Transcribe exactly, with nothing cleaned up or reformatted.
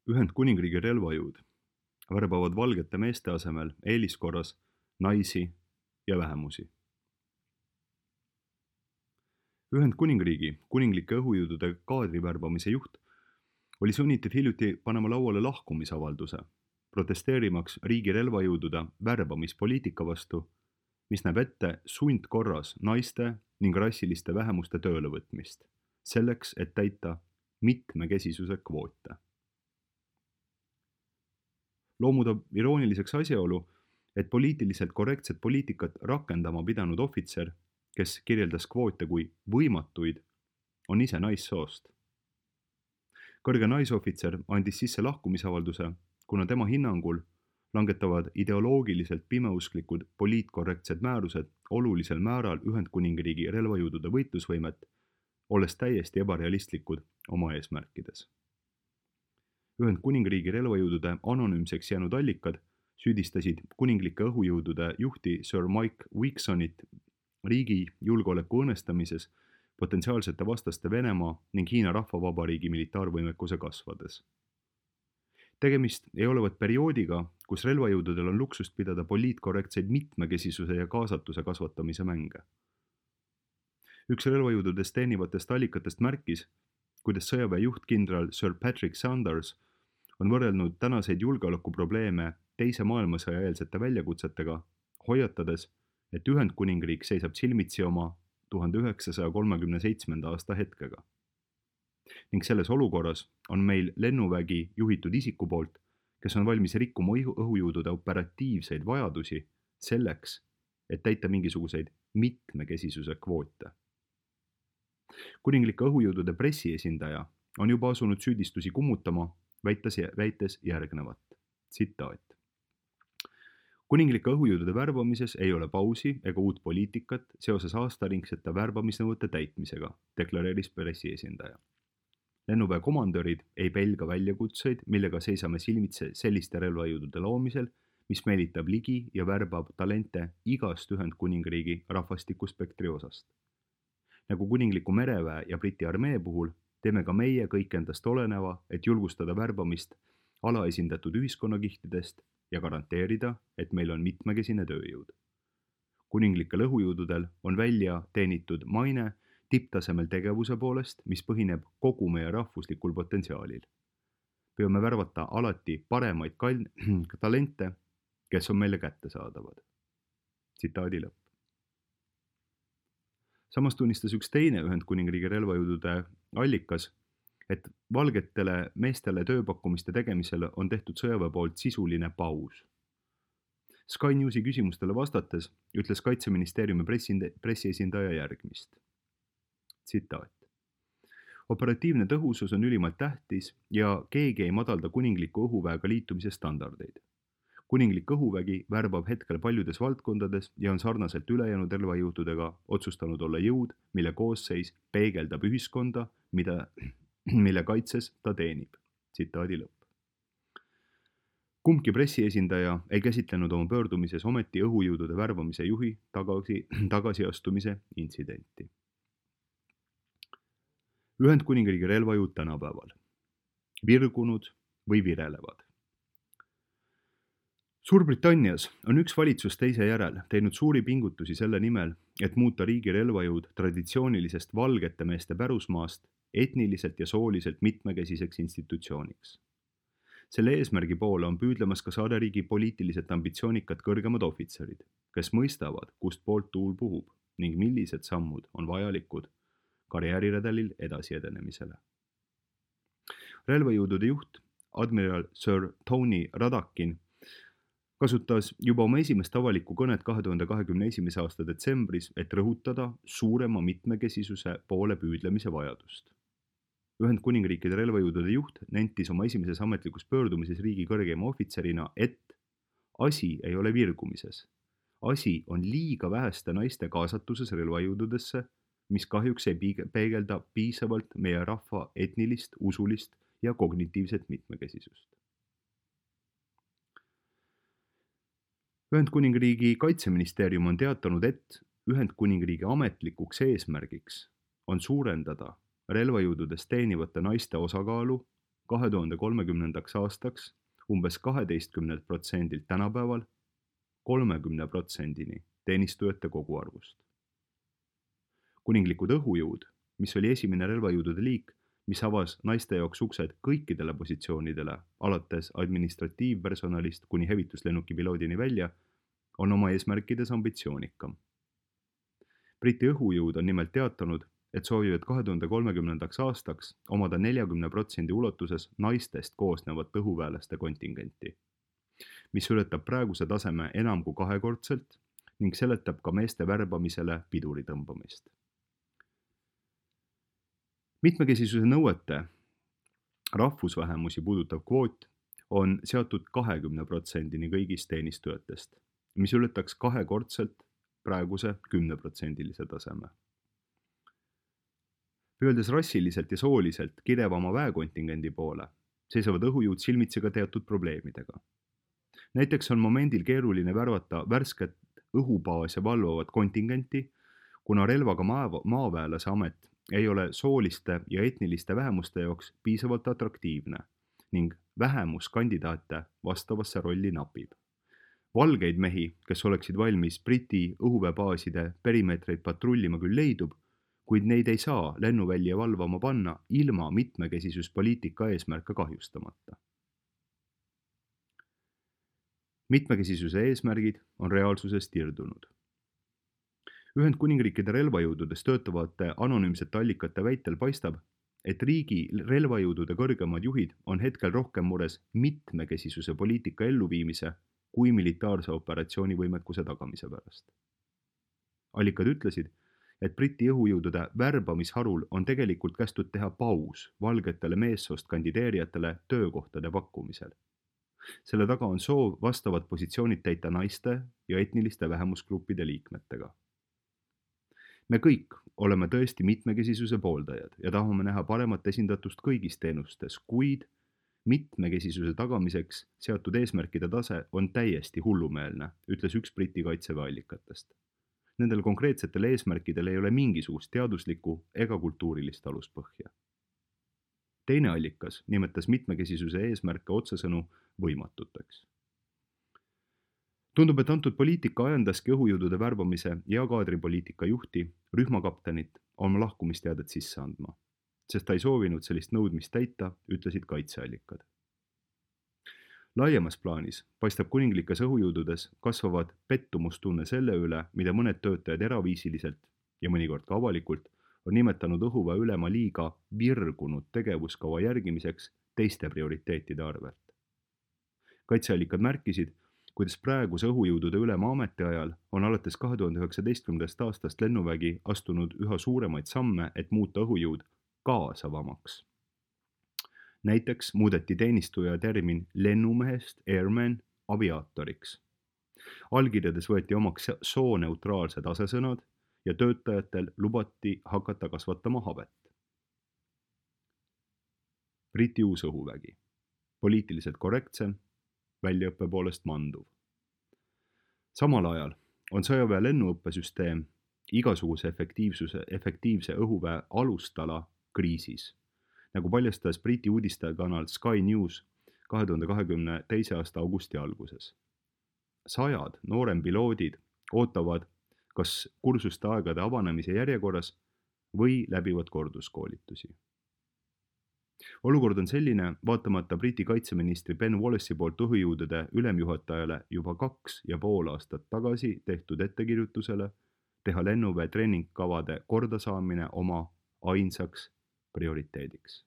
Ühendkuningriigi relvajõud värbavad valgete meeste asemel eeliskorras naisi ja vähemusi. Ühendkuningriigi kuninglike õhujõudude kaadri värbamise juht oli sunnitud hiljuti panema lauale lahkumisavalduse, protesteerimaks riigi relvajõudude värbamispoliitika vastu, mis näeb ette sundkorras naiste ning rassiliste vähemuste töölevõtmist, selleks, et täita mitmekesisuse kvoote. Loomutab irooniliseks asjaolu, et poliitiliselt korrektset poliitikat rakendama pidanud ohvitser, kes kirjeldas kvoote kui võimatuid, on ise naissoost. Kõrge naisohvitser andis sisse lahkumisavalduse, kuna tema hinnangul langetavad ideoloogiliselt pimeusklikud poliitkorrektsed määrused olulisel määral Ühendkuningriigi relvajõudude võitlusvõimet, olles täiesti ebarealistlikud oma eesmärkides. Ühendkuningriigi relvajõudude anonüümseks jäänud allikad süüdistasid kuninglike õhujõudude juhti Sir Mike Wicksonit riigi julgeoleku õõnestamises, potentsiaalsete vastaste Venemaa ning Hiina Rahvavabariigi militaarvõimekuse kasvades. Tegemist ei olevat perioodiga, kus relvajõududel on luksust pidada poliitkorrektseid mitmekesisuse ja kaasatuse kasvatamise mänge. Üks relvajõududest teenivatest allikatest märkis, kuidas sõjaväe juht kindral Sir Patrick Sanders on võrrelnud tänaseid julgeolekuprobleeme teise maailmasõja eelsete väljakutsetega, hoiatades, et Ühendkuningriik seisab silmitsi oma tuhande üheksasaja kolmekümne seitsmenda aasta hetkega. Ning selles olukorras on meil lennuvägi juhitud isiku poolt, kes on valmis rikkuma õhujõudude operatiivseid vajadusi selleks, et täita mingisuguseid mitmekesisuse kvoote. Kuninglike õhujõudude pressiesindaja on juba asunud süüdistusi kummutama, väites, väites järgnevat. Tsitaat. Kuninglike õhujõudude värbamises ei ole pausi ega uut poliitikat seoses aastaringsete värbamisnõuete täitmisega, deklareeris pressiesindaja. Lennuväe komandörid ei pelga väljakutseid, millega seisame silmitse selliste relvajõudude loomisel, mis meelitab ligi ja värbab talente igast Ühendkuningriigi rahvastikuspektri osast. Nagu kuningliku mereväe ja Briti armee puhul, teeme ka meie kõik endast oleneva, et julgustada värbamist alaesindatud ühiskonnakihtidest ja garanteerida, et meil on mitmekesine tööjõud. Kuninglikel õhujõududel on välja teenitud maine tipptasemel tegevuse poolest, mis põhineb kogu meie rahvuslikul potentsiaalil. Püüame värvata alati paremaid kal- talente, kes on meile kättesaadavad. Tsitaadi lõpp. Samas tunnistas üks teine Ühendkuningriigi relvajõudude allikas, et valgetele meestele tööpakkumiste tegemisel on tehtud sõjaväe poolt sisuline paus. Sky Newsi küsimustele vastates ütles Kaitseministeeriumi pressiesindaja järgmist. Tsitaat. Operatiivne tõhusus on ülimalt tähtis ja keegi ei madalda kuningliku õhuväega liitumise standardeid. Kuninglik õhuvägi värbab hetkel paljudes valdkondades ja on sarnaselt ülejäänud relvajõududega otsustanud olla jõud, mille koosseis peegeldab ühiskonda, mida, mille kaitses ta teenib. Tsitaadi lõpp. Kumbki pressiesindaja ei käsitlenud oma pöördumises ometi õhujõudude värbamise juhi tagasi, tagasiastumise intsidenti. Ühendkuningriigi relvajõud tänapäeval. Virgunud või virelevad. Suurbritannias on üks valitsus teise järel teinud suuri pingutusi selle nimel, et muuta riigi relvajõud traditsioonilisest valgete meeste pärusmaast etniliselt ja sooliselt mitmekesiseks institutsiooniks. Selle eesmärgi poole on püüdlemas ka saareriigi poliitiliselt ambitsioonikad kõrgemad ohvitserid, kes mõistavad, kust poolt tuul puhub ning millised sammud on vajalikud karjääriredelil edasi edenemisele. Relvajõudude juht, admiral Sir Tony Radakin, kasutas juba oma esimest avalikku kõnet kahe tuhande kahekümne esimese aasta detsembris, et rõhutada suurema mitmekesisuse poole püüdlemise vajadust. Ühendkuningriikide relvajõudude juht nentis oma esimeses ametlikus pöördumises riigi kõrgema ohvitserina, et asi ei ole virgumises. Asi on liiga väheste naiste kaasatuses relvajõududesse, mis kahjuks ei peegelda piisavalt meie rahva etnilist, usulist ja kognitiivset mitmekesisust. Ühendkuningriigi kaitseministeerium on teatanud, et Ühendkuningriigi ametlikuks eesmärgiks on suurendada relvajõududes teenivate naiste osakaalu kahe tuhande kolmekümnendaks aastaks umbes kaheteistkümnelt protsendilt tänapäeval kolmekümne protsendini teenistujate koguarvust. Kuninglikud õhujõud, mis oli esimene relvajõudude liik, mis avas naiste jaoks uksed kõikidele positsioonidele, alates administratiivpersonalist kuni hävituslennuki piloodini välja, on oma eesmärkides ambitsioonikam. Briti õhujõud on nimelt teatanud, et soovivad kahe tuhande kolmekümnendaks aastaks omada neljakümne protsendi ulatuses naistest koosnevat õhuväelaste kontingenti, mis ületab praeguse taseme enam kui kahekordselt ning seletab ka meeste värbamisele piduri tõmbamist. Mitmekesisuse nõuete rahvusvähemusi puudutav kvoot on seatud kahekümne protsendini kõigist teenistujatest, mis ületaks kahekordselt praeguse kümneprotsendilise taseme. Pööldes rassiliselt ja sooliselt kirevama väekontingendi poole, seisavad õhujõud silmitsi ka teatud probleemidega. Näiteks on momendil keeruline värvata värsket õhubaase valvavat kontingenti, kuna relvaga maaväelase amet ei ole sooliste ja etniliste vähemuste jaoks piisavalt atraktiivne ning vähemuskandidaate vastavasse rolli napib. Valgeid mehi, kes oleksid valmis Briti õhuväebaaside perimeetreid patrullima küll leidub, kuid neid ei saa lennuvälja valvama panna ilma mitmekesisuspoliitika eesmärke kahjustamata. Mitmekesisuse eesmärgid on reaalsusest irdunud. Ühendkuningriikide relvajõududes töötavate anonüümsete allikate väitel paistab, et riigi relvajõudude kõrgemad juhid on hetkel rohkem mures mitmekesisuse poliitika elluviimise kui militaarse operatsiooni võimekuse tagamise pärast. Allikad ütlesid, et Briti õhujõudude värbamisharul on tegelikult kästud teha paus valgetele meessoost kandideerijatele töökohtade pakkumisel. Selle taga on soov vastavad positsioonid täita naiste ja etniliste vähemusgruppide liikmetega. Me kõik oleme tõesti mitmekesisuse pooldajad ja tahame näha paremat esindatust kõigis teenustes, kuid mitmekesisuse tagamiseks seatud eesmärkide tase on täiesti hullumeelne, ütles üks Briti kaitseväe allikatest. Nendel konkreetsetel eesmärkidel ei ole mingisugust teaduslikku ega kultuurilist aluspõhja. Teine allikas nimetas mitmekesisuse eesmärke otsesõnu võimatuteks. Tundub, et antud poliitika ajendaski õhujõudude värbamise ja kaadripoliitika juhti rühmakaptenit oma lahkumisteadet sisse andma, sest ta ei soovinud sellist nõudmist täita, ütlesid kaitseallikad. Laiemas plaanis paistab kuninglikes õhujõududes kasvavad pettumustunne selle üle, mida mõned töötajad eraviisiliselt ja mõnikord ka avalikult on nimetanud õhuväe ülema liiga virgunud tegevuskava järgimiseks teiste prioriteetide arvelt. Kaitseallikad märkisid, kuidas praeguse õhujõudude ülema ametiajal on alates kahe tuhande üheksateistkümnendast aastast lennuvägi astunud üha suuremaid samme, et muuta õhujõud kaasavamaks. Näiteks muudeti teenistuja termin lennumehest airman aviaatoriks. Allkirjades võeti omaks sooneutraalsed asesõnad ja töötajatel lubati hakata kasvatama habet. Briti uus õhuvägi. Poliitiliselt korrektsem, väljaõppe poolest manduv. Samal ajal on sõjaväe lennuõppesüsteem igasuguse efektiivsuse, efektiivse õhuväe alustala kriisis, nagu paljastas Briti uudistekanal Sky News kahe tuhande kahekümne teise aasta augusti alguses. Sajad noorempiloodid ootavad kas kursuste aegade avanemise järjekorras või läbivad korduskoolitusi. Olukord on selline, vaatamata Briti kaitseministri Ben Wallace'i poolt õhujõudude ülemjuhatajale juba kaks ja pool aastat tagasi tehtud ettekirjutusele teha lennuväe treeningkavade kordasaamine oma ainsaks prioriteediks.